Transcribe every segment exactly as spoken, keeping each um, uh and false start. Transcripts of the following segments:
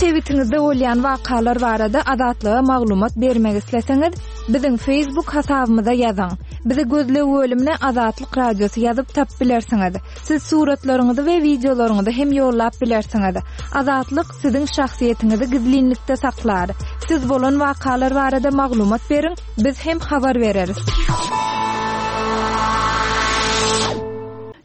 Sebitiňizde bolýan wakalar barada Azatlyga maglumat bermek isleseňiz, biziň Facebook hasabymyza ýazyň. Bizi gözleg bölümine Azatlyk Radiosy ýazyp tapyp bilersiňiz. Siz suratlaryňyzy we wideolaryňyzy hem ýollap bilersiňiz. Azatlyk siziň şahsyýetiňizi gizlinlikde saklar. Siz bolan wakalar barada maglumat beriň, biz hem habar bereris.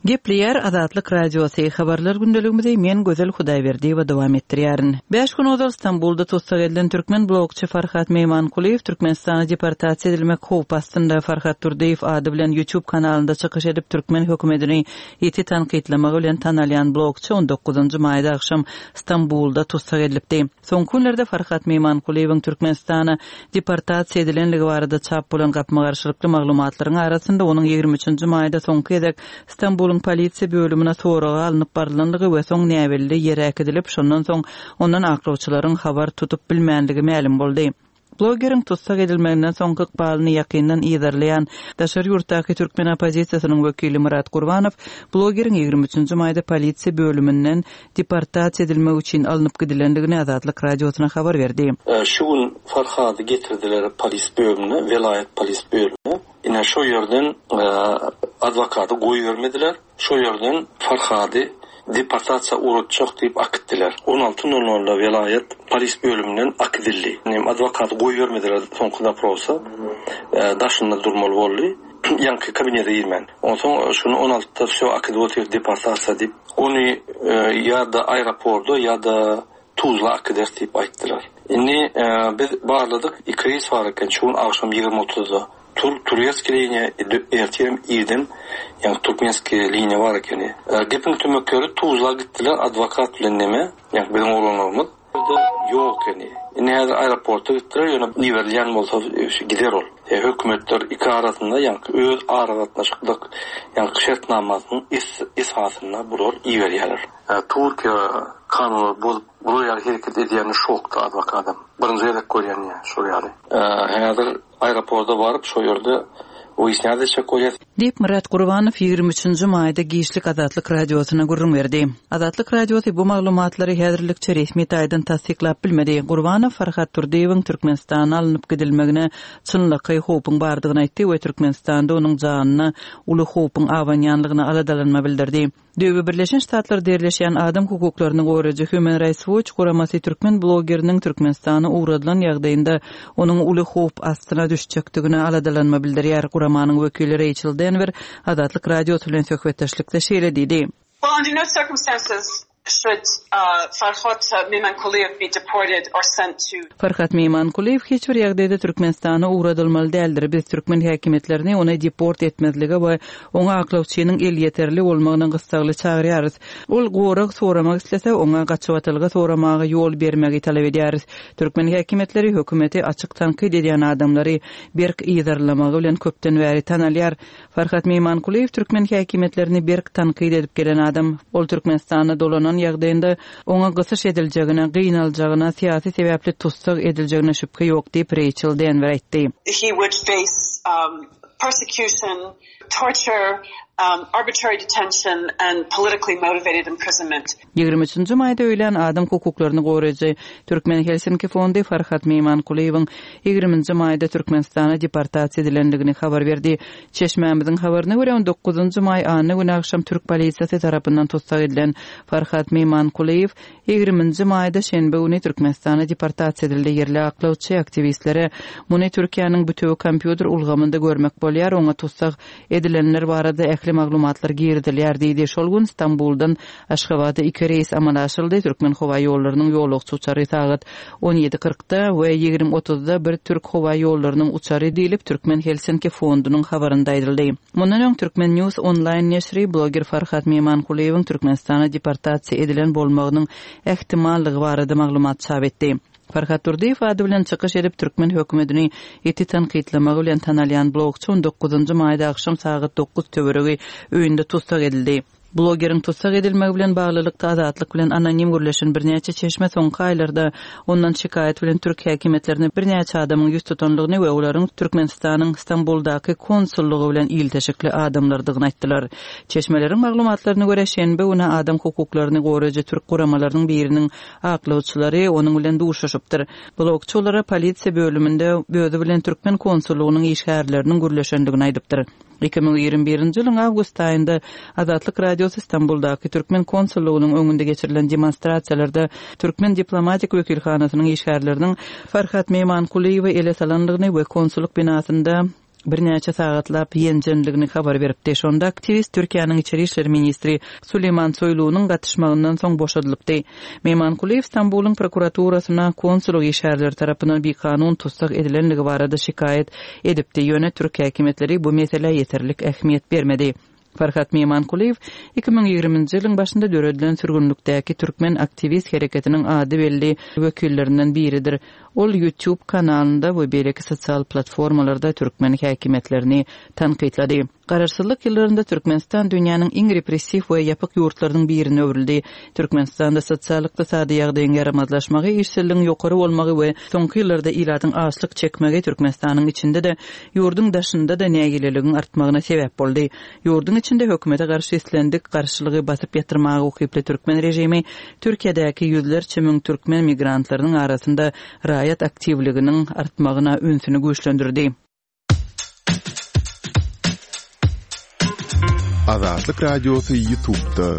Gepleýär Azatlyk Radiosy habarlar gündeligimizi men Gözel Hudaýberdiýewa dowam etdirýärin. Beş gün ozal Stambulda tussag edilen türkmen blogçy Farhat Meýmankulyýew Türkmenistana deportasiýa edilmek howpy astynda. Farhat Durdyýew ady bilen YouTube kanalynda çykyş edip türkmen hökümetini ýiti tankytlamagy bilen tanalýan blogçy on dokuzynjy maýda agşam Stambulda tussag edilipdi. Soňky günlerde Farhat Meýmankulyýewiň Türkmenistana deportasiýa edilenligi barada çap bolan gapma-garşylykly maglumatlaryň arasynda onuň ýigrimi üçünji maýda soňky gezek Stambulyň polisiýa bölümine soraga alnyp barylanlygy we soň näbelli ýere äkidilip, şondan soň ondan aklawçylaryň habar tutup bilmänligi mälim boldy. Blogeriň tussag edilmeginden soňky ykbalyny ýakyndan yzarlaýan daşary ýurtdaky türkmen oppozisiýasynyň wekili Murat Gurbanow blogeriň ýigrimi üçünji maýda polisiýa bölüminden deportasiýa edilmek üçin alnyp gidilendigini Azatlyk Radiosyna habar berdi. E, şu gün Farhady getirdiler polis bölümine, welaýat polis bölümine. Ine şu ýerden, e, adwokaty goýbermediler. Şu ýerden Farhady deportasiýa uğratjak diýip akitdiler. on alty nol nolda welaýat polis bölüminden akidildi. Nem adwokaty goýbermediler soňky daprosa. E, daşynda durmaly boldy. Ýaňky kabinete girmän. Onsoň şuny on altyda wsё akidip otyr deportasiýa diýip. Ony, e, ýa-da aeroportda ýa-da Tuzla akider diýip aýtdylar. Indi, e, biz barladyk, iki reýs bar eken şu gün agşam ýigrimi otuzda. Tur, turetski liniýa, ertirem irden, ýagny türkmenski liniýa bar ekeni. E, gepiň tümekleri Tuzla gitdiler adwokat bilen neme, ýagny biziň oglanlarymyz. Ýerde ýok ekeni. Indi häzir aeroporta gitdiler, ýöne iberilýän bolsa, e, şu gider ol. E, hökümetler iki arasynda, ýagny öz aragatnaşyklyk, ýagny şertnamasynyň es-, esasynda bular iberýärler. E, Türkiýe kanunlary bozup, bular ýaly hereket edýäni şokda adwokadam. Birinji gezek görýän ýa, şol ýaly. E, häzir aeroporta baryp, şo ýerde wyýasnýat etjek bolýar. Diýip Murat Gurbanow ýigrimi üçünji maýda giçlik Azatlyk Radiosyna gürrüň berdi. Azatlyk Radiosy bu maglumatlary häzirlikçe resmi taýdan tassyklap bilmedi. Gurbanow Farhat Durdyýewiň Türkmenistana alnyp gidilmegine çynlakaý howpuň bardygyny aýtdy we Türkmenistanda onuň janyna uly howpuň abanýanlygyna aladalanma bildirdi. Döwü Birleşen Ştatlar derleşen adam hukuklaryny goraýjy Human Rights Watch guramasy türkmen blogeriniň Türkmenistana ugradylan ýagdaýynda onuň uly howp astyna düşjekdigine aladalanma bildirýär. Guramanyň wekili Rachel Denver Azatlyk Radiosy bilen söhbetdeşlikde şeýle diýdi. Well, under no circumstances should, uh, Farhad Mehmankuliyev be deported or sent to Farhad Mehmankuliyev hiç bir ýagdaýda Türkmenistana ugradylmaly däldir. Biz türkmen häkimiýetlerini ony deport etmezlige we oňa aklawçynyň elýeterli bolmagyna gyssagly çagyrýarys. Ol gorag soramak islese, oňa gaçybatalga soramaga ýol bermegi talap edýäris. Türkmen häkimiýetleri hökümeti açyk tankyt edýän adamlary berk yzarlamagy bilen köpden bäri tanalýar. Farhad Mehmankuliyev türkmen häkimiýetlerini berk tankyt edip gelen adam. Ol Türkmenistana dolanan ýagdaýynda oňa gysyş ediljegine, gynaljagyna, syýasy sebäpli tussag ediljegine şübhe ýok diýip Rachel Denver aýtdy. He would face, um, persecution, torture, um, arbitrary detention and politically motivated imprisonment. Ýigrimi üçünji maýda öýlän adam hukuklaryny goraýjy Türkmen Helsinki Fondy Farhad Mehmankuliyewiň ýigriminji maýda Türkmenistana deportasiýa edilendigini habar berdi. Çeşmämiziň habaryna görä on dokuzynjy maý anna güni agşam Türk polisiýasy tarapyndan tussag edilen Farhad Mehmankuliyew ýigriminji maýda şenbe güni Türkmenistana deportasiýa edildi. Ýerli aklawçy aktiwistlere muny Türkiýäniň bütewi kompýuter ulgamynda görmek bolýar, oňa tussag edilenler barada ähli maglumatlar girizilýär diýdi. Şol gün Stambuldan Aşgabada iki reýs amala aşyryldy. Türkmen howa ýollarynyň ýolagçy uçary sagat on ýedi kyrkda we ýigrimi otuzda bir Türk howa ýollarynyň uçary diýlip Türkmen Helsinki Fondunyň habarynda aýdyldy. Mundan öň Türkmen News online neşri bloger Farhad Mehmankuliyewiň Türkmenistana deportasiýa edilen bolmagynyň ähtimallygy barada maglumat çap etdi. Farhad Durdyýew ady bilen çykyş edip türkmen hökümetini ýiti tankytlamagy bilen tanalýan blogçy on dokuzynjy maýda agşam sagat dokuz töweregi öýünde tussag edildi. Blogeriň tussag edilmegi bilen baglylykda Azatlyk bilen anonim gürleşen birnäçe çeşme soňky aýlarda ondan şikaýat bilen türk häkimiýetlerine birnäçe adamyň ýüz tutandygyny we olaryň Türkmenistanyň Stambuldaky konsullygy bilen ilteşikli adamlardygyny aýtdylar. Çeşmeleriň maglumatlaryna görä, şenbe güni adam hukuklaryny goraýjy türk guramalarynyň biriniň aklawçylary onuň bilen duşuşypdyr. Blogçy olara polisiýa bölüminde özi bilen türkmen konsullygynyň işgärleriniň gürleşendigini aýdypdyr. Iki müň ýigrimi birinji ýylyň awgust aýynda Azatlyk Radiosy Stambuldaky türkmen konsullygynyň öňünde geçirilen demonstrasiýalarda türkmen diplomatik wekilhanasynyň işgärleriniň Farhat Meýmankulyýewi ele salandygyny we konsullyk binasynda birnäçe sagatlap ýenjendigini habar beripdi. Şonda aktiwist Türkiýäniň içeri işler ministri Suleýman Soýlunyň gatyşmagyndan soň boşadylypdy. Meýmankulyýew Stambulyň prokuraturasyna konsullyk işgärleri tarapyndan bikanun tussag edilendigi barada şikaýat edipdi, ýöne türk häkimiýetleri bu meselä ýeterlik ähmiýet bermedi. Farhat Meýmankulyýew iki müň ýigriminji ýylyň başynda döredilen sürgünlikdäki türkmen aktiwist hereketiniň ady belli wekillerinden biridir. Ol YouTube kanalynda we beýleki sosial platformalarda türkmen häkimiýetlerini tankytlady. Garaşsyzlyk ýyllarynda Türkmenistan dünýäniň iň repressiw we ýapyk ýurtlarynyň birine öwrüldi. Türkmenistanda sosial-ykdysady ýagdaýyň ýaramazlaşmagy, işsizligiň ýokary bolmagy we soňky ýyllarda ilatyň açlyk çekmegi Türkmenistanyň içinde-de, ýurduň daşynda-da nägileligiň artmagyna sebäp boldy. Ýurduň içinde hökümete garşy islendik garşylygy basyp ýatyrmaga ukyply türkmen režimi Türkiýedäki ýüzlerçe müň türkmen migrantlarynyň arasynda raýat aktiwliginiň artmagyna ünsüni güýçlendirdi. Azatlyk Radiosy YouTube'da.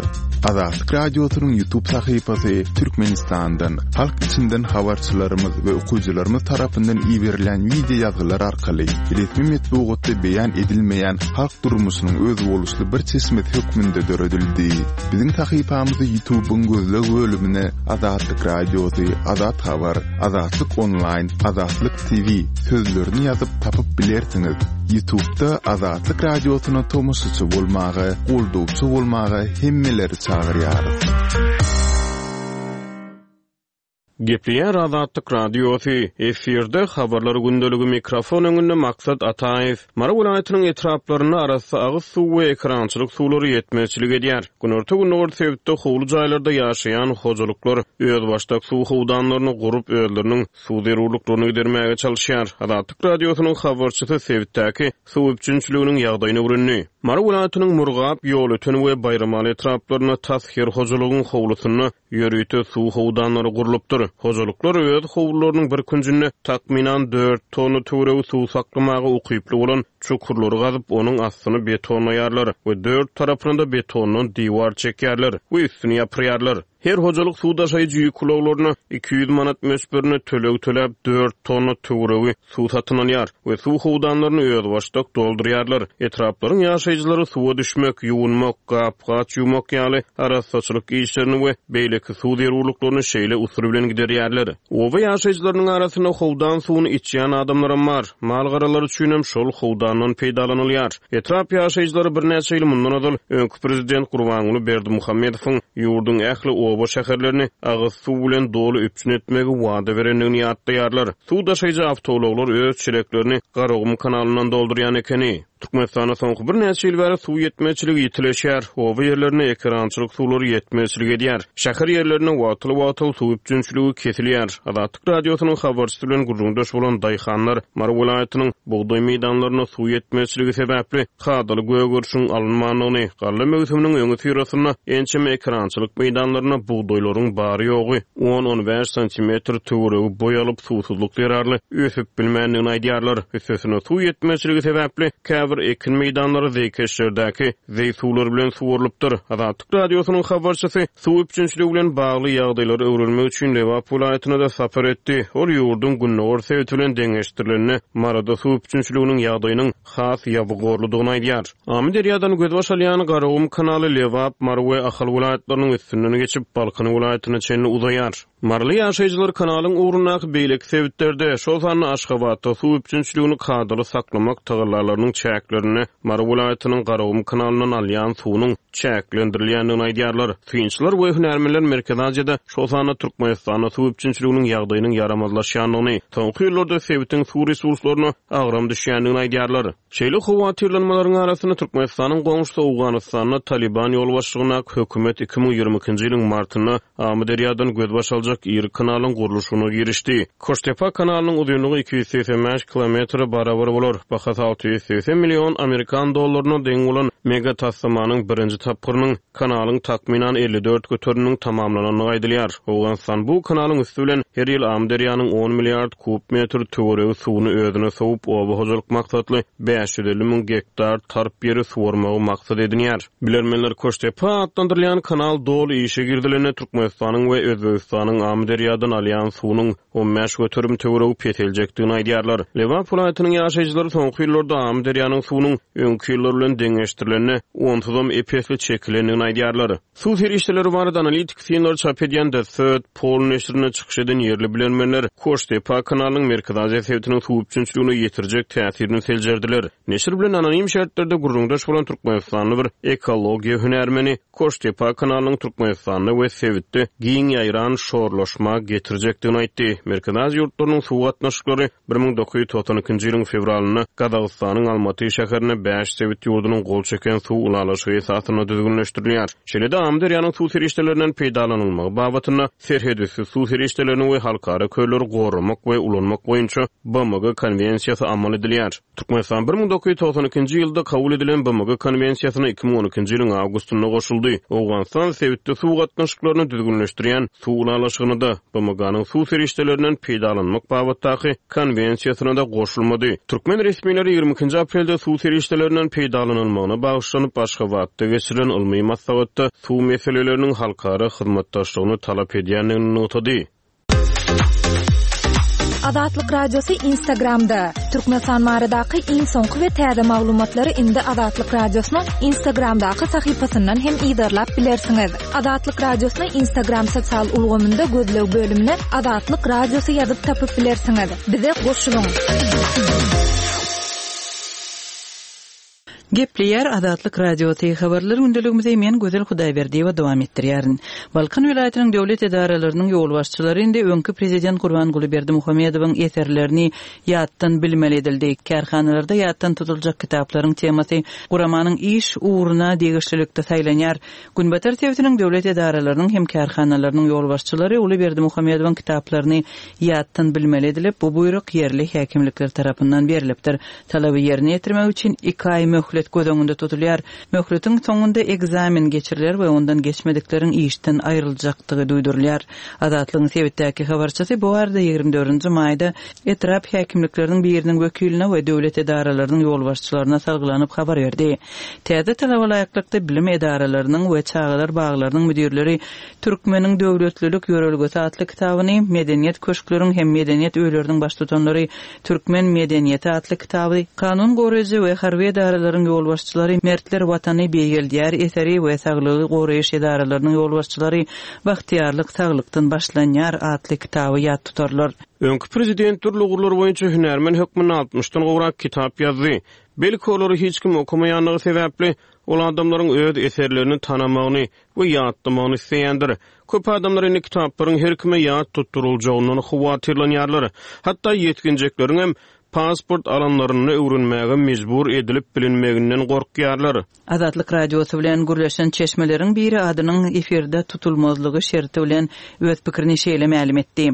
Azatlyk Radiosynyň YouTube sahypasy Türkmenistandan, halk içinden habarçylarymyz we okyjylarymyz tarapyndan iberilen wideo ýazgylar arkaly resmi metbugatda beýan edilmeýän halk durmuşynyň özboluşly bir çeşmesi hökmünde döredildi. Biziň sahypamyzy YouTube'yň gözleg bölümine Azatlyk Radiosy, Azat Habar, Azatlyk Online, Azatlyk T V sözlerini ýazyp tapyp bilersiňiz. YouTube'da Azatlyk Radiosyna tomaşaçy bolmaga, goldawçy bolmaga hemmeleri çagyrýarys. Gepleýär Azatlyk Radiosy, efirde habarlar gündeligi mikrofon öňünde Maksat Ataýew. Mary welaýatynyň etraplarynda arassa agyz suw we ekrançylyk suwlary ýetmezçilik edýär. Günorta-gündogar sebitde howly jaýlarda ýaşaýan hojalyklar özbaşdak suw howdanlaryny gurup özleriniň suw zerurlyklaryny gidermäge çalışýar. Azatlyk Radiosynyň habarçysy sebitdäki suw üpjünçiliginiň ýagdaýyny öwrendi. Mary welaýatynyň Murgap, Ýolöten we Baýramaly etraplarynda tas her hojalygyň howlusynda ýörite suw howdanlary gurlupdyr. Hojalyklar öz howlularynyň bir künjünde takmynan dört tonna töweregi suw saklamaga ukyply bolan çukurlary gazyp, onuň astyny betonlaýarlar we dört tarapyna da betondan diwar çekýärler we üstüni ýapyrýarlar. Her hojalyk suw daşaýjy ýük ulaglaryna iki ýüz manat möçberine töleg töläp dört tonna töweregi suw satyn alýar we suw howdanlaryny özbaşdak doldurýarlar. Etraplaryň ýaşaýjylary suwa düşmek, ýuwunmak, gap-gaç ýuwmak ýaly arassaçylyk işlerini we beýleki suw zerurlyklaryny şeýle usul bilen giderýärler. Oba ýaşaýjylarynyň arasynda howdan suwuny içýän adamlaram bar. Mal-garalar üçin hem şol howdandan peýdalanylýar. Etrap ýaşaýjylary birnäçe ýyl mundan ozal öňki prezident Gurbanguly Berdimuhamedowyň ýurduň ähli oba şäherlerini agyz suw bilen doly üpjün etmegi wada berendigini ýatlaýarlar. Suw daşaýjy awtoulaglar öz çeleklerini Garagum kanalyndan doldurýan ekeni. Türkmenistanda soňky birnäçe ýyl bäri suw ýetmezçiligi ýitileşýär. Oba ýerlerinde ekerançylyk suwlary ýetmezçilik edýär. Şäher ýerlerinde wagtal-wagtal suw üpjünçiligi kesilýär. Azatlyk Radiosynyň habarçysy bilen gürrüňdeş bolan daýhanlar Mary welaýatynyň bugdaý meýdanlarynda suw ýetmezçiligi sebäpli kadaly gögerişiň alynmandygyny, galla möwsüminiň öňi syrasynda ençeme ekerançylyk meýdanlarynda bugdaýlaryň bary ýogy on-on bäş santimetr töweregi boý alyp suwsuzlyk zerarly ösüp bilmändigini aýdýarlar. Üstesine suw ýetmezçiligi sebäpli käbir ekin meýdanlary zeýkeşlerdäki zeý suwlary bilen suwarylypdyr. Azatlyk Radiosynyň habarçysy suw üpjünçiligi bilen bagly ýagdaýlary öwrenmek üçin Lebap welaýatyna da sapar etdi. Ol ýurduň gündogar sebiti bilen deňeşdirilende Maryda suw üpjünçiliginiň ýagdaýynyň has ýabygorludygyny aýdýar. Amyderýadan gözbaş alýan Garagum kanaly Lebap, Mary we Ahal welaýatlarynyň üstünden geçip Balkan welaýatyna çenli uzaýar. Maryly ýaşaýjylar kanalyň ugrundaky beýleki sebitlerde, şol sanda Aşgabatda suw üpjünçiligini kadaly saklamak tagallalarynyň çäklerinde Mary welaýatynyň Garagum kanalyndan alýan suwunyň çäklendirilýändigini aýdýarlar. Synçylar we hünärmenler Merkezi Aziýada, şol sanda Türkmenistanda suw üpjünçiliginiň ýagdaýynyň ýaramazlaşýandygyny, soňky ýyllarda sebitiň suw resurslaryna agram düşýändigini aýdýarlar. Şeýle howatyrlanmalaryň arasynda Türkmenistanyň goňşusy Owganystanda Taliban ýolbaşçylygyndaky hökümet iki müň ýigrimi ikinji ýylyň martynda Amyderýadan gözbaş aljak iri kanalyň gurluşygyna girişdi. Koştepa kanalynyň uzynlygy iki ýüz segsen bäş kilometre barabar bolar. Bahasy alty ýüz segsen million amerikan dollaryna deň bolan mega taslamanyň birinji tapgyrynyň kanalyň takmynan elli dört göteriminiň tamamlanandygy aýdylýar. Owganystan bu kanalyň üsti bilen her ýyl Amyderýanyň on milliard kub metr töweregi suwuny özüne sowup, oba hojalyk maksatly bäş ýüz elli müň gektar tarp ýeri suwarmagy maksat edinýär. Bilermenler Koştepa atlandyrylýan kanal doly işe girizilende Türkmenistanyň we Özbegistanyň Amyderýadan alýan suwunyň on bäş göterim töweregi peseljekdigini aýdýarlar. Lebap welaýatynyň ýaşaýjylary soňky ýyllarda Amyderýanyň suwunyň öňki ýyllar bilen deňeşdirilende onsuzam ep-esli çekilendigini aýdýarlar. Suw serişdeleri barada analitik synlar çap edýän The Third Pole neşirinde çykyş eden ýerli bilermenler Koştepa kanalynyň Merkezi Aziýa sebitiniň suw üpjünçiligine ýetirjek täsirini seljerdiler. Neşir bilen anonim şertlerde gürrüňdeş bolan Türkmenistanly bir ekologiýa hünärmeni Koştepa kanalynyň Türkmenistanda we sebitde giň ýaýran şorlaşma getirjekdigini aýtdy. Merkezi Aziýa ýurtlarynyň suw gatnaşyklary bir müň dokuz ýüz togsan ikinji ýylyň fewralynda Gazagystanyň Almaty şäherinde bäş sebit ýurdunyň gol çeken suw ylalaşygy esasynda düzgünleşdirilýär. Şeýle-de Amyderýanyň suw serişdelerinden peýdalanylmagy babatynda serhedüsti suw serişdelerini we halkara kölleri goramak we ulanmak boýunça B M G konwensiýasy amal edilýär. Türkmenistan bir müň dokuz ýüz togsan ikinji ýylda kabul edilen B M G konwensiýasyna iki müň on ikinji ýylyň awgustynda goşuldy. Owganystan sebitde suw gatnaşyklaryny düzgünleşdirýän suw ylalaşygyny-da B M G-nyň suw serişdelerinden peýdalanmak babatdaky konwensiýasyna da goşulmady. Türkmen resmileri ýigrimi ikinji aprelde suw serişdelerinden peýdalanylmagyna bagyşlanyp Aşgabatda geçirilen ylmy maslahatda suw meseleleriniň halkara hyzmatdaşlygyny talap edýändigini nygtady. Azatlyk Radiosy Instagramda. Türkmenistan baradaky iň soňky we täze maglumatlary indi Azatlyk Radiosynyň Instagramdaky sahypasyndan hem yzarlap bilersiňiz. Azatlyk Radiosyny Instagram sosial ulgamynda gözleg bölümine Azatlyk Radiosy ýazyp tapyp bilersiňiz. Bize goşulyň. Gepleýär Azatlyk Radiosy habarlar gündeligimizi men Gözel Hudaýberdiýewa dowam etdirýärin. Balkan welaýatynyň döwlet edaralarynyň ýolbaşçylary indi öňki prezident Gurbanguly Berdimuhamedowyň eserlerini ýatdan bilmeli edildi. Kärhanalarda ýatdan tutuljak kitaplaryň temasy guramanyň iş ugruna degişlilikde saýlanýar. Günbatar sebitiniň döwlet edaralarynyň hem kärhanalarynyň ýolbaşçylary Uly Berdimuhamedowyň kitaplaryny ýatdan bilmeli edilip, bu buýruk ýerli häkimlikler tarapyndan berilipdir. Talaby ýerine ýetirmek üçin iki aý möhlet göz öňünde tutulýar. Möhletiň soňunda ekzamen geçiriler we ondan geçmedikleriň işden aýryljakdygy duýdurylýar. Azatlygyň sebitdäki habarçysy bu arada ýigrimi dördünji maýda etrap häkimlikleriniň biriniň wekiline we döwlet edaralarynyň ýolbaşçylaryna salgylanyp habar berdi. Täze talaba laýyklykda bilim edaralarynyň we çagalar baglarynyň müdirleri Türkmeniň döwletlilik ýörelgesi atly kitabyny, medeniýet köşkleriň hem medeniýet öýleriniň baştutanlary Türkmen medeniýeti atly kitaby, kanun goraýjy we harby edaralaryň ýolbaşçylary Mertler Watany beýgeldýär eseri we saglygy goraýyş edaralarynyň ýolbaşçylary Bagtyýarlyk saglykdan başlanýar atly kitaby ýat tutarlar. Öňki prezident dürli ugurlar boýunça hünärmen hökmünde altmyşdan gowrak kitap ýazdy. Belki olary hiç kim okamaýanlygy sebäpli ol adamlaryň öz eserlerini tanamagyny we ýatlamagyny isleýändir. Köp adamlar indi kitaplaryň her kime ýat tutduruljagyndan howatyrlanýarlar. Hatda ýetginjekleriň hem pasport alanlaryny öwrenmäge mejbur edilip bilinmeginden gorkýarlar. Azatlyk Radiosy bilen gürleşen çeşmeleriň biri adynyň efirde tutulmazlygy şerti bilen öz pikirini şeýle mälim etdi.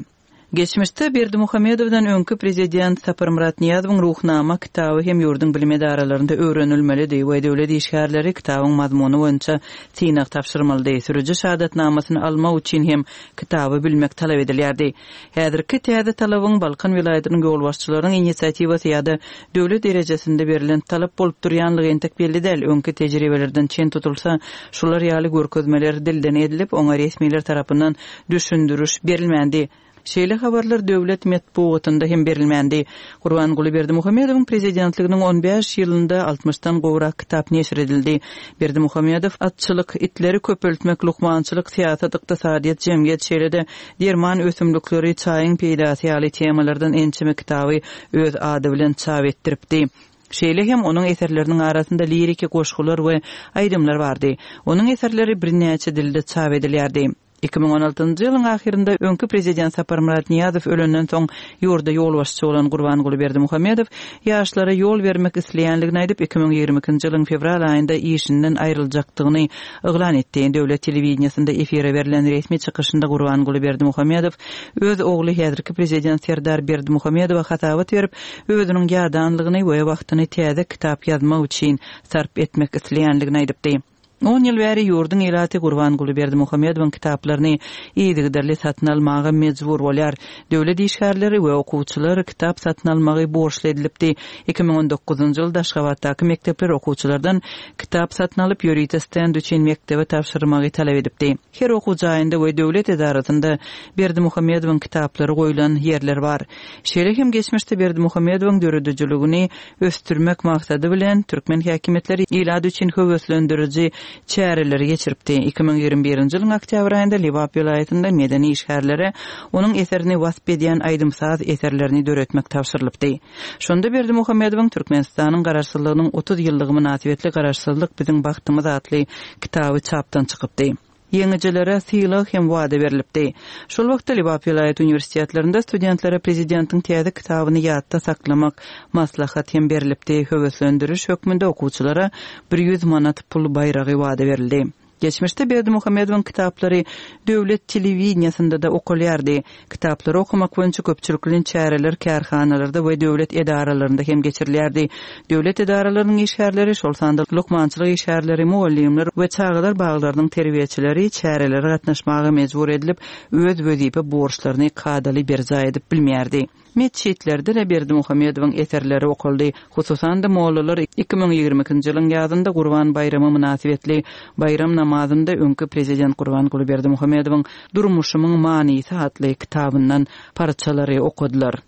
Geçmişde Berdimuhamedowdan öňki prezident Saparmyrat Nyýazowyň Ruhnama kitaby hem ýurduň bilim edaralarynda öwrenilmelidi we döwlet işgärleri kitabyň mazmuny boýunça synag tabşyrmalydy. Sürüji şahadatnamasyny almak üçin hem kitaby bilmek talap edilýärdi. Häzirki täze talabyň Balkan welaýatynyň ýolbaşçylarynyň inisiatiwasy ýa-da döwlet derejesinde berlen talap bolup durýanlygy entek belli däl. Öňki tejribelerden çen tutulsa, şular ýaly görkezmeler dilden edilip, oňa resmiler tarapyndan düşündiriş berilmändi. Şeýle habarlar döwlet metbugatynda hem berilmändi. Gurbanguly Berdimuhamedowyň prezidentliginiň on bäş ýylynda altmyşdan gowrak kitap neşir edildi. Berdimuhamedow atçylyk, itleri köpeltmek, lukmançylyk, syýasat, ykdysadyýet, jemgyýet, şeýle-de derman ösümlikleri, çaýyň peýdasy ýaly temalardan ençeme kitaby öz ady bilen çap etdiripdi. Şeýle hem onuň eserleriniň arasynda liriki goşgular we aýdymlar bardy. Onuň eserleri birnäçe dilde çap edilýärdi. Iki müň on altynjy ýylyň ahyrynda öňki prezident Saparmyrat Nyýazow ölenden soň ýurda ýolbaşçy bolan Gurbanguly Berdimuhamedow ýaşlara ýol bermek isleýänligini aýdyp, iki müň ýigrimi ikinji ýylyň fewral aýynda işinden aýryljakdygyny yglan etdi. Döwlet telewideniýesinde efire berlen resmi çykyşynda Gurbanguly Berdimuhamedow öz ogly häzirki prezident Serdar Berdimuhamedowa hasabat berip, özüniň ýadanlygyny we wagtyny täze kitap ýazmak üçin sarp etmek isleýänligini aýdypdy. On ýyl bäri ýurduň ilaty Gurbanguly Berdimuhamedowyň kitaplaryny yzygiderli satyn almaga mejbur bolýar. Döwlet işgärleri we okuwçylar kitap satyn almagy borçly edilipdi. Iki müň on dokuzynjy ýylda Aşgabatdaky mekdepler okuwçylardan kitap satyn alyp, ýörite stend üçin mekdebe tabşyrmagy talap edipdi. Her okuw jaýynda we döwlet edarasynda Berdimuhamedowyň kitaplary goýlan ýerler bar. Şeýle hem geçmişde Berdimuhamedowyň döredijiligini ösdürmek maksady bilen türkmen häkimiýetleri ilat üçin höweslendiriji çäreleri geçiripdi. Iki müň ýigrimi birinji ýylyň oktýabr aýynda Lebap welaýatynda medeni işgärlere onuň eserini wasp edýän aýdym-saz eserlerini döretmek tabşyrylypdy. Şonda Berdimuhamedowyň Türkmenistanyň garaşsyzlygynyň otuz ýyllygy mynasybetli Garaşsyzlyk biziň bagtymyz atly kitaby çapdan çykypdy. Ýeňijilere sylag hem wada berilipdi. Şol wagtda Lebap welaýat uniwersitetlerinde studentlere prezidentiň täze kitabyny ýatda saklamak maslahat hem berilipdi. Höweslendiriş hökmünde okuwçylara bir ýüz manat pul baýragy wada berildi. Geçmişde Berdimuhamedowyň kitaplary döwlet telewideniýesinde de okalýardy. Kitaplary okamak boýunça köpçülikleýin çäreler kärhanalarda we döwlet edaralarynda hem geçirilýärdi. Döwlet edaralarynyň işgärleri, şol sanda lukmançylyk işgärleri, mugallymlar we çagalar baglarynyň terbiýeçileri çärelere gatnaşmaga mejbur edilip, öz wezipe borçlaryny kadaly berjaý edip bilmeýärdi. Metjitlerde de Berdimuhamedowyň eserleri okaldy. Hususan-da mollalar iki müň ýigrimi ikinji ýylyň ýazynda Gurban baýramy mynasybetli baýram namazynda öňki prezident Gurbanguly Berdimuhamedowyň Durmuşymyň manysy atly kitabyndan parçalary okadylar.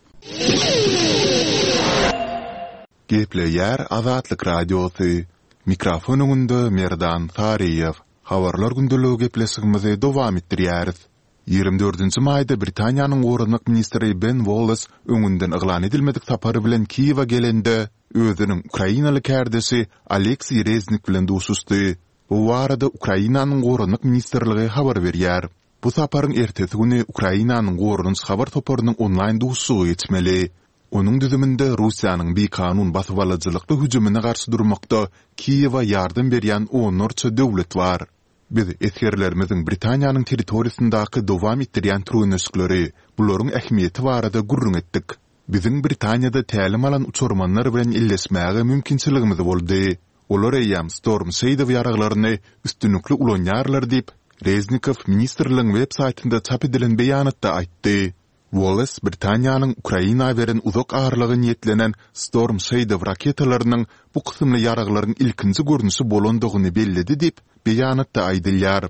Gepleýär Azatlyk Radiosy. Mikrofon öňünde Merdan Saryýew. Habarlar gündeligi gepleşigimizi dowam etdirýäris. Ýigrimi dördünji maýda Britaniýanyň goranmak ministri Ben Wallace öňünden yglan edilmedik sapary bilen Kiýewe gelende, özüniň ukrainaly kärdeşi Aleksiý Reznik bilen duşuşdy. Bu barada Ukrainanyň goranmak ministrligi habar berýär. Bu saparyň ertesi güni Ukrainanyň goranyş habar toparynyň onlaýn duşuşygy geçmeli. Onuň düzüminde Russiýanyň bikanun basybalyjylykly hüjümine garşy durmakda Kiýewe ýardam berýän onlarça döwlet bar. Biz esgerlerimiziň Britaniýanyň territoriýasyndaky dowam etdirýän türgenleşikleri, bularyň ähmiýeti barada gürrüň etdik. Biziň Britaniýada tälim alan uçarmanlar bilen elleşmäge mümkinçiligimiz boldy. Olar eýýäm Storm Shadow ýaraglaryny üstünlikli ulanýarlar diýip, Reznikow ministrligiň web saýtynda çap edilen beýanatda aýtdy. Wallace Britaniýanyň Ukraina beren uzak aralyga niýetlenen Storm Shadow raketalarynyň bu kysymly ýaraglaryň ilkinji görnüşi bolandygyny belledi diýip, beýanatda aýdylýar.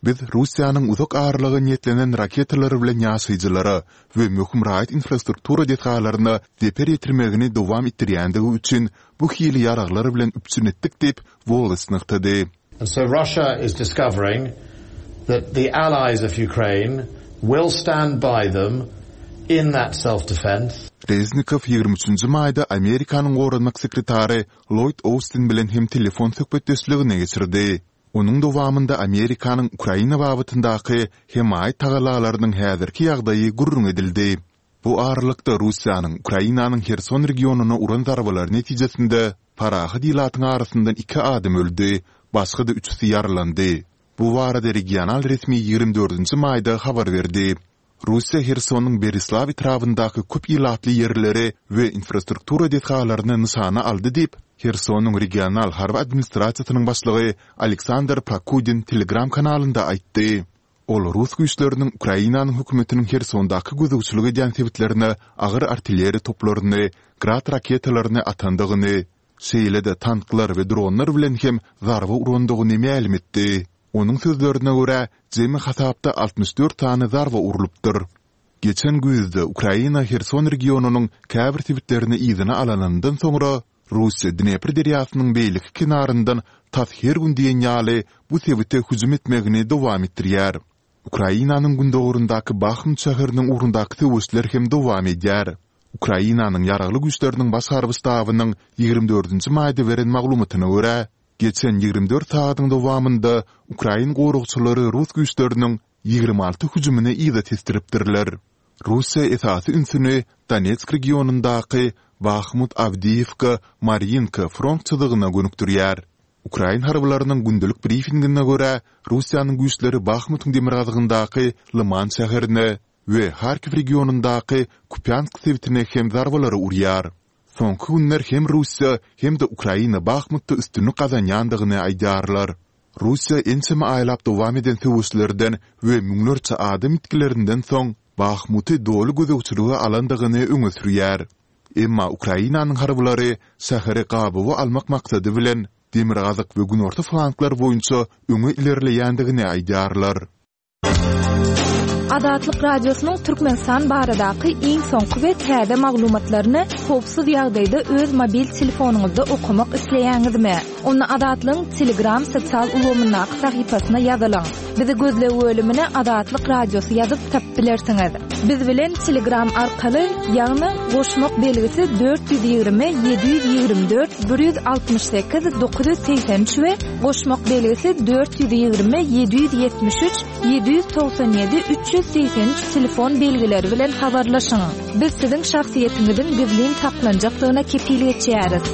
Biz Russiýanyň uzak aralyga niýetlenen raketalary bilen ýaşaýjylara we möhüm raýat infrastruktura desgalaryna zeper ýetirmegini dowam etdirýändigi üçin bu hili ýaraglar bilen üpjün etdik diýip, Wallace nygtady. And so Russia is discovering that the allies of Ukraine will stand by them in that self-defense. Reznikow ýigrimi üçünji maýda Amerikanyň goranmak sekretary Lloyd Austin bilen hem telefon söhbetdeşligini geçirdi. Onuň dowamynda Amerikanyň Ukraina babatyndaky hemaýat tagalalarynyň häzirki ýagdaýy gürrüň edildi. Bu aralykda Russiýanyň Ukrainanyň Herson regionyna uran zarbalary netijesinde parahat ilatyň arasyndan iki adam öldi, başga-da üçüsi ýaralandy. Bu barada regional resmi ýigrimi dördünji maýda habar berdi. Russiýa Hersonyň Berislaw etrabyndaky köp ilatly ýerleri we infrastruktura desgalaryny nyşana aldy diýip, Hersonyň regional harby administrasiýasynyň başlygy Aleksandr Prokudin Telegram kanalynda aýtdy. Ol rus güýçleriniň Ukrainanyň hökümetiniň Hersondaky gözegçilik edýän sebitlerine agyr artilleriýa toplaryny, Grad raketalaryny atandygyny, şeýle-de tanklar we dronlar bilen hem zarba urandygyny mälim etdi. Onuň sözlerine görä, jemi hasapda altmyş dört sany zarba urlupdyr. Geçen güýzde Ukraina Herson regionynyň käbir sebitlerini yzyna alanyndan soňra, Russiýa Dnepr derýasynyň beýleki kenaryndan tas her gün diýen ýaly bu sebite hüjüm etmegini dowam etdirýär. Ukrainanyň gündogaryndaky Bahmut şäheriniň ugrundaky söweşler hem dowam edýär. Ukrainanyň Ýaragly Güýçleriniň Baş harby ştabynyň ýigrimi dördünji maýda beren maglumatyna görä, geçen ýigrimi dört sagadyň dowamynda ukrain goragçylary rus güýçleriniň ýigrimi alty hüjümini yza tesdiripdirler. Russiýa esasy ünsüni Donetsk regionyndaky Bahmut-Awdiýewka, Marýinka front çyzygyna gönükdirýär. Ukrain harbylarynyň gündelik brifingine görä, Russiýanyň güýçleri Bahmutyň demirgazygyndaky Lyman şäherine we Harkiw regionyndaky Kupýansk sebitine hem zarbalary urýar. Soňky günler hem Russiýa, hem-de Ukraina Bahmutda üstünlik gazanýandygyny aýdýarlar. Russiýa ençeme aýlap dowam eden söweşlerden we müňlerçe adam ýitgilerinden soň Bahmuty doly gözegçilige alandygyny öňe sürýär. Emma Ukrainanyň harbylary şäheri gabawa almak maksady bilen demirgazyk we günorta flanglar boýunça öňe ilerleýändigini aýdýarlar. Azatlyk Radiosynyň Türkmenistan baradaky iň soňky we täze maglumatlaryny howpsuz ýagdaýda öz mobil telefonyňyzda okamak isleýäňizmi? Onda Azatlygyň Telegram sosial ulgamyndaky sahypasyna ýazylyň. Bizi gözleg bölümine Azatlyk Radiosy ýazyp tapyp bilersiňiz. Biz bilen Telegram arkaly, ýagny goşmak belgisi dört ýüz ýigrimi ýedi ýüz ýigrimi dört bir ýüz altmyş sekiz dokuz ýüz segsen üç we goşmak belgisi dört ýüz ýigrimi ýedi ýüz ýetmiş üç ýedi ýüz togsan ýedi üç ýüz segsen üç telefon belgileri bilen habarlaşyň. Biz siziň şahsyýetiňiziň gizlin saklanjakdygyna kepil geçýäris.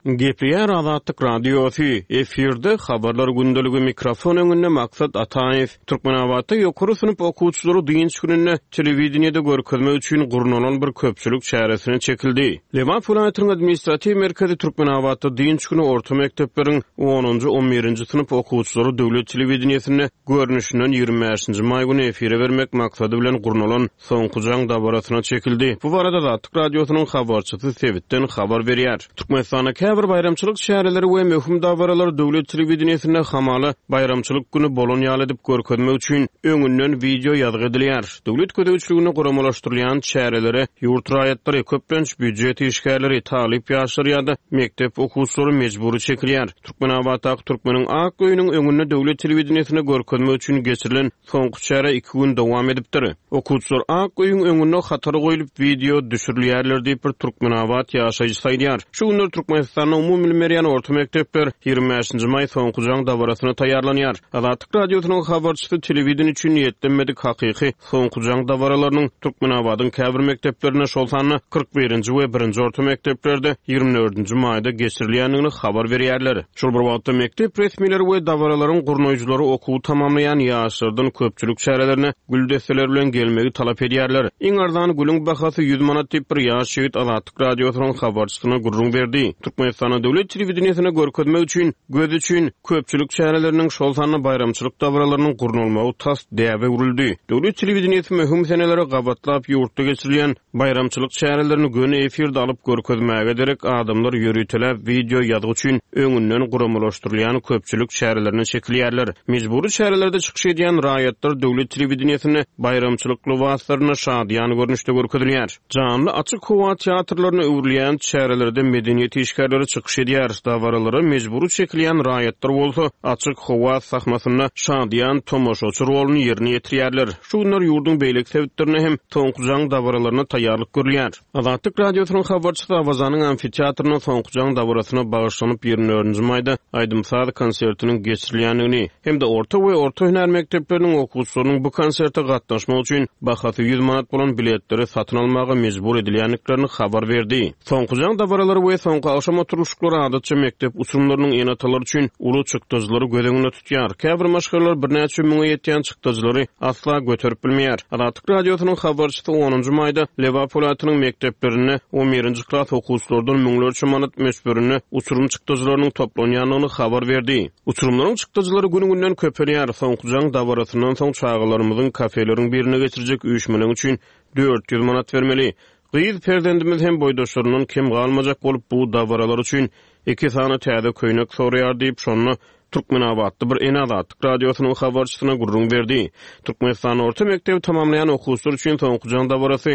Gepleýär Azatlyk Radiosy, efirde habarlar gündeligi mikrofon öňünde Maksat Ataýew. Türkmenabatda ýokary synp okuwçylary dynç gününde telewideniýede görkezmek üçin gurnalan bir köpçülik çäresine çekildi. Lebap welaýatynyň administratiw merkezi Türkmenabatda dynç güni orta mekdepleriň onunjy, on birinji synp okuwçylary döwlet telewideniýesinde görnüşinden ýigrimi bäşinji maý güni efire bermek maksady bilen gurnalan soňky jaň dabarasyna çekildi. Bu barada Azatlyk Radiosynyň habarçysy sebitden habar berýär. Türkmenistanda käbir baýramçylyk çäreleri we möhüm dabaralar döwlet telewideniýesinde hamala baýramçylyk güni bolan ýaly edip görkezmek üçin öňünden wideo ýazgy edilýär. Döwlet gözegçiliginde guramalaşdyrylýan çärelere ýurt raýatlary, köplenç býujet işgärleri, talyp ýaşlar ýa-da mekdep okuwçylary mejbury çekilýär. Türkmenabatdaky Türkmeniň Ak öýüniň öňünde döwlet telewideniýesine görkezmek üçin geçirilen soňky çäre iki gün dowam edipdir. Okuwçylar Ak öýüň öňünde hatara goýulyp wideo düşürilýärler diýip bir Türkmenabat ýaşaýjysy aýdýar. Şu günler Türkmenistanda umumy bilim berýän orta mekdepler ýigrimi bäşinji maý soňky jaň dabarasyna taýýarlanýar. Azatlyk Radiosynyň habarçysy telewideniýe üçin niýetlenmedik hakyky soňky jaň dabaralarynyň Türkmenabadyň käbir mekdeplerinde, şol sanda kyrk birinji we birinji orta mekdeplerde ýigrimi dördünji maýda geçirilýändigini habar berýärler. Şol bir wagtda mekdep resmileri we dabaralaryň gurnaýjylary okuwy tamamlaýan ýaşlardan köpçülik çärelerine gül desseleri bilen gelmegi talap edýärler. Iň arzan gülüň bahasy ýüz manat diýip bir ýaş ýigit Azatlyk Radiosynyň habarçysyna gürrüň berdi. Türkmenistanda döwlet telewideniýesine görkezmek üçin, göz üçin köpçülik çäreleriniň, şol sanda baýramçylyk dabaralarynyň gurnalmagy tas däbe öwrüldi. Döwlet telewideniýesi möhüm senelere gabatlap ýurtda geçirilýän baýramçylyk çärelerini göni efirde alyp görkezmäge derek adamlar ýöriteläp wideo ýazgy üçin öňünden guramalaşdyrylýan köpçülik çärelerine çekilýärler. Mejbury çärelerde çykyş edýän raýatlar döwlet telewideniýesinde baýramçylyk lybaslarynda şadyýan görnüşde görkezilýär. Janly açyk howa teatrlaryna öwrülýän çärelerde medeniýet işgärleri çykyş edýär. Dabaralara mejbury çekilýän raýatlar bolsa açyk howa sahnasynda şadyýan tomaşaçy roluny ýerine ýetirýärler. Şu günler ýurduň beýleki sebitlerinde hem soňky jaň dabaralaryna taýýarlyk görülýär. Azatlyk Radiosynyň habarçysy Awazanyň amfiteatrynda soňky jaň dabarasyna bagyşlanyp ýigrimi dördünji maýda aýdym-saz konsertiniň geçirilýändigini hem-de orta we orta hünär mekdepleriniň okuwçylarynyň bu konserte gatnaşmak üçin bahasy ýüz manat bolan biletleri satyn almaga mejbur edilýändiklerini habar berdi. Soňky jaň dabaralary we soňky agşam oturylyşyklary adatça mekdep uçurymlarynyň ene-atalary üçin uly çykdajylary göz öňünde tutýar. Käbir maşgalalar birnäçe müňe ýetýän çykdajylary asla göterip bilmeýär. Azatlyk Radiosynyň habarçysy onunjy maýda Lebap welaýatynyň mekdeplerinde on birinji klas okuwçylardan müňlerçe manat möçberinde uçurum çykdajylarynyň toplanýandygyny habar berdi. Uçurumlaryň çykdajylary gün-günden köpelýär. Soňky jaň dabarasyndan soň çagalarymyzyň kafeleriň birine geçirjek üýşmeleň üçin dört ýüz manat bermeli. Gyz perzendimiz hem boýdaşlaryndan kem galmajak bolup bu dabaralar üçin iki sany täze köýnek soraýar diýip, şonda Türkmenabatly bir ene Azatlyk Radiosynyň habarçysyna gürrüň berdi. Türkmenistanda orta mekdebi tamamlaýan okuwçylar üçin soňky jaň dabarasy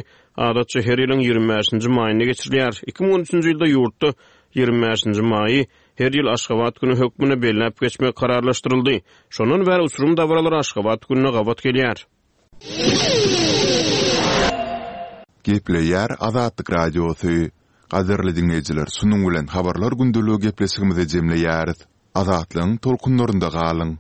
adatça her ýylyň ýigrimi bäşinji maýynda geçirilýär. Iki müň on üçünji ýylda ýurtda ýigrimi bäşinji maýy her ýyl Aşgabat güni hökmünde belläp geçmek kararlaşdyryldy. Şondan bäri uçurum dabaralary Aşgabat gününe gabat gelýär. Gepleýär Azatlyk Radiosy. Gadyrly diňleýjiler, şunuň bilen Habarlar gündeligi gepleşigimizi jemleýäris. Azatlygyň tolkunlarynda galyň!